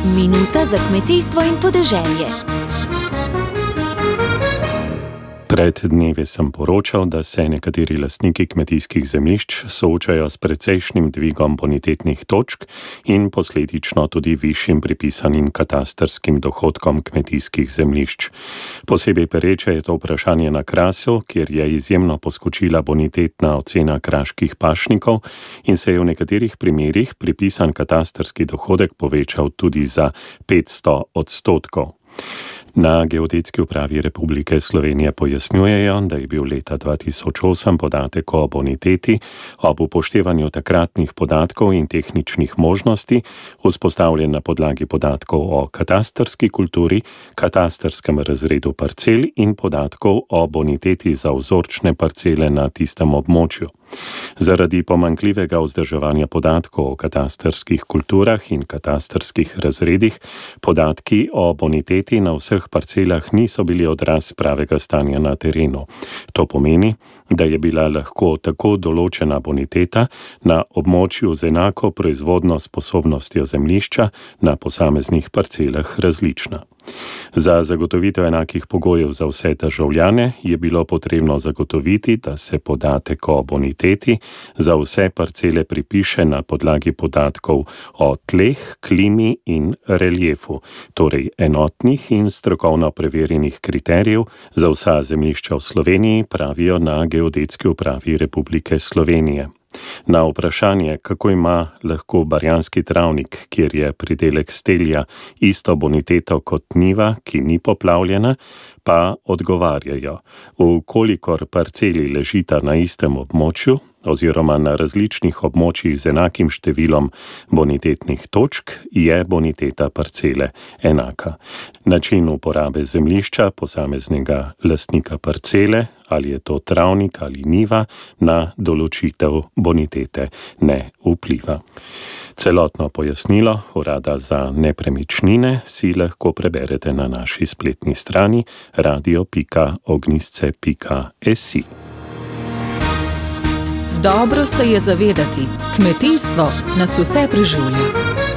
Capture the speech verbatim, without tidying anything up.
Minuta za kmetijstvo in podeželje. Pred dnevi sem poročal, da se nekateri lastniki kmetijskih zemljišč soočajo s precejšnjim dvigom bonitetnih točk in posledično tudi višjim pripisanim katastrskim dohodkom kmetijskih zemljišč. Posebej pereče je to vprašanje na Krasu, kjer je izjemno poskočila bonitetna ocena kraških pašnikov in se je v nekaterih primerih pripisan katastrski dohodek povečal tudi za petsto odstotkov. Na Geodetski upravi Republike Slovenije pojasnjujejo, da je bil leta dva tisoč osem podatek o boniteti ob upoštevanju takratnih podatkov in tehničnih možnosti vzpostavljen na podlagi podatkov o katastrski kulturi, katastrskem razredu parcel in podatkov o boniteti za vzorčne parcele na tistem območju. Zaradi pomanjkljivega vzdrževanja podatkov o katastrskih kulturah in katastrskih razredih, podatki o boniteti na vseh parcelah niso bili odraz pravega stanja na terenu. To pomeni, da je bila lahko tako določena boniteta na območju z enako proizvodno sposobnostjo zemljišča na posameznih parcelah različna. Za zagotovitev enakih pogojev za vse državljane je bilo potrebno zagotoviti, da se podatek o boniteti za vse parcele pripiše na podlagi podatkov o tleh, klimi in reliefu, torej enotnih in strokovno preverjenih kriterijev za vsa zemljišča v Sloveniji, pravijo na Geodetski upravi Republike Slovenije. Na vprašanje, kako ima lahko barjanski travnik, kjer je pridelek stelja, isto boniteto kot njiva, ki ni poplavljena, pa odgovarjajo, v kolikor parceli ležita na istem območju oziroma na različnih območjih z enakim številom bonitetnih točk, je boniteta parcele enaka. Način uporabe zemljišča posameznega lastnika parcele, ali je to travnik ali njiva, na določitev bonitete ne vpliva. Celotno pojasnilo Urada za nepremičnine si lahko preberete na naši spletni strani radio pika ognjisce pika si. Dobro se je zavedati, kmetijstvo nas vse preživlja.